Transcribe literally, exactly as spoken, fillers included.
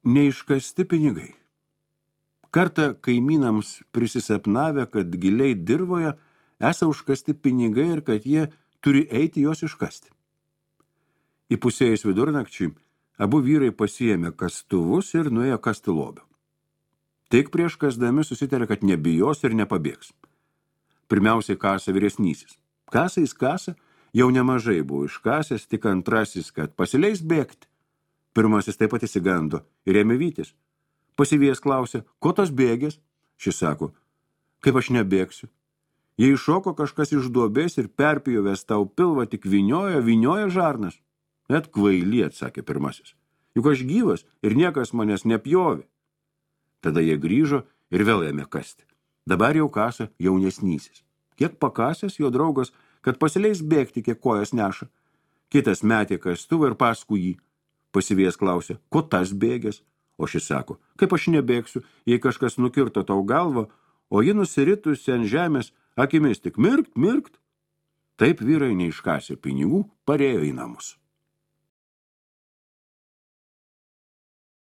Neiškasti pinigai. Kartą kaimynams prisisapnavę, kad giliai dirvoje esą užkasti pinigai ir kad jie turi eiti juos iškasti. Įpusėjus vidurnakčiui, abu vyrai pasiėmė kastuvus ir nuėjo kasti lobio. Tik prieš kasdami susitarė, kad nebijos ir nepabėgs. Pirmiausiai kasa vyresnysis. Kasa jis kasa, jau nemažai buvo iškasęs, tik antrasis, kad pasileis bėgti. Pirmasis taip pat įsigando ir ėmė vytis. Pasivėjęs klausė, ko tos bėgės? Šis sako, kaip aš nebėgsiu. Jei iššoko kažkas iš duobės ir perpjovęs tau pilvą, tik vynioja, vynioja žarnas. Net kvaily, atsakė pirmasis. Juk aš gyvas ir niekas manęs nepjovė. Tada jie grįžo ir vėl ėmė kasti. Dabar jau kasa jaunesnysis. Kiek pakasęs jo draugas, kad pasileis bėgti, kiek kojas neša. Kitas metė kastuvą ir paskui jį. Pasivėjęs klausė, ko tas bėgės? O šis sako, kaip aš nebėgsiu, jei kažkas nukirto tau galvą, o ji nusiritusi ant žemės, akimis tik mirkt, mirkt. Taip vyrai neiškasė pinigų, parėjo į namus.